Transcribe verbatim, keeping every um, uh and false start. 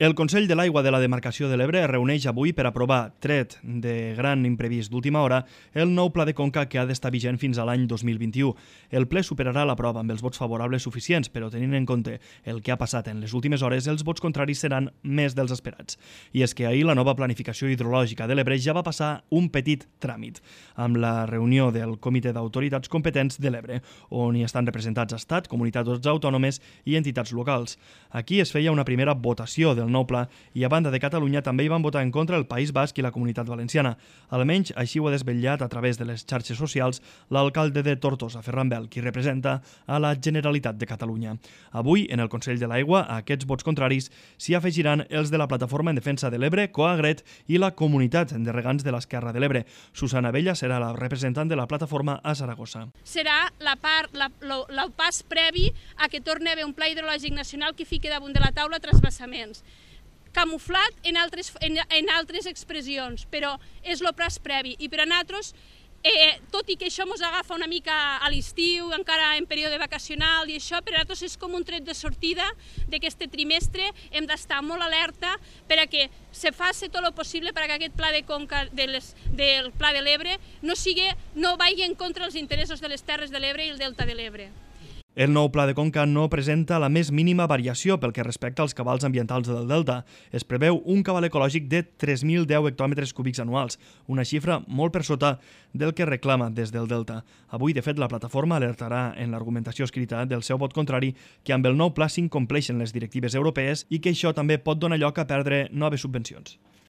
El Consell de l'Aigua de la Demarcació de l'Ebre es reuneix avui per aprovar, tret de gran imprevist d'última hora, el nou pla de conca que ha d'estar vigent fins a l'any dos mil vint-i-u. El ple superarà la prova amb els vots favorables suficients, però tenint en compte el que ha passat en les últimes hores, els vots contraris seran més dels esperats. I és que ahir la nova planificació hidrològica de l'Ebre ja va passar un petit tràmit, amb la reunió del Comitè d'Autoritats Competents de l'Ebre, on hi estan representats Estat, comunitats autònomes i entitats locals. Aquí es feia una primera votació del nou pla i a banda de Catalunya també hi van votar en contra el País Basc i la Comunitat Valenciana. Almenys així ho ha desvetllat a través de les xarxes socials l'alcalde de Tortosa, Ferran Bel, qui representa a la Generalitat de Catalunya. Avui, en el Consell de l'Aigua, a aquests vots contraris s'hi afegiran els de la Plataforma en Defensa de l'Ebre, Coagret i la Comunitat de Regants de l'Esquerra de l'Ebre. Susana Abella serà la representant de la plataforma a Saragossa. Serà la part, la, lo, el pas previ a que torni a haver un pla hidrològic nacional que fiqui damunt de la taula transvasaments. Camuflat en altres, en, en altres expressions, però és el pas previ. I per a nosaltres, eh, tot i que això ens agafa una mica a l'estiu, encara en període vacacional i això, per a nosaltres és com un tret de sortida d'aquest trimestre. Hem d'estar molt alerta per a que se faci tot el possible perquè aquest pla de conca de les, del Pla de l'Ebre no, sigui, no vagi en contra dels interessos de les Terres de l'Ebre i el Delta de l'Ebre. El nou pla de conca no presenta la més mínima variació pel que respecta als cabals ambientals del Delta. Es preveu un cabal ecològic de tres mil deu hectòmetres cúbics anuals, una xifra molt per sota del que reclama des del Delta. Avui, de fet, la plataforma alertarà en l'argumentació escrita del seu vot contrari que amb el nou pla s'incompleixen les directives europees i que això també pot donar lloc a perdre noves subvencions.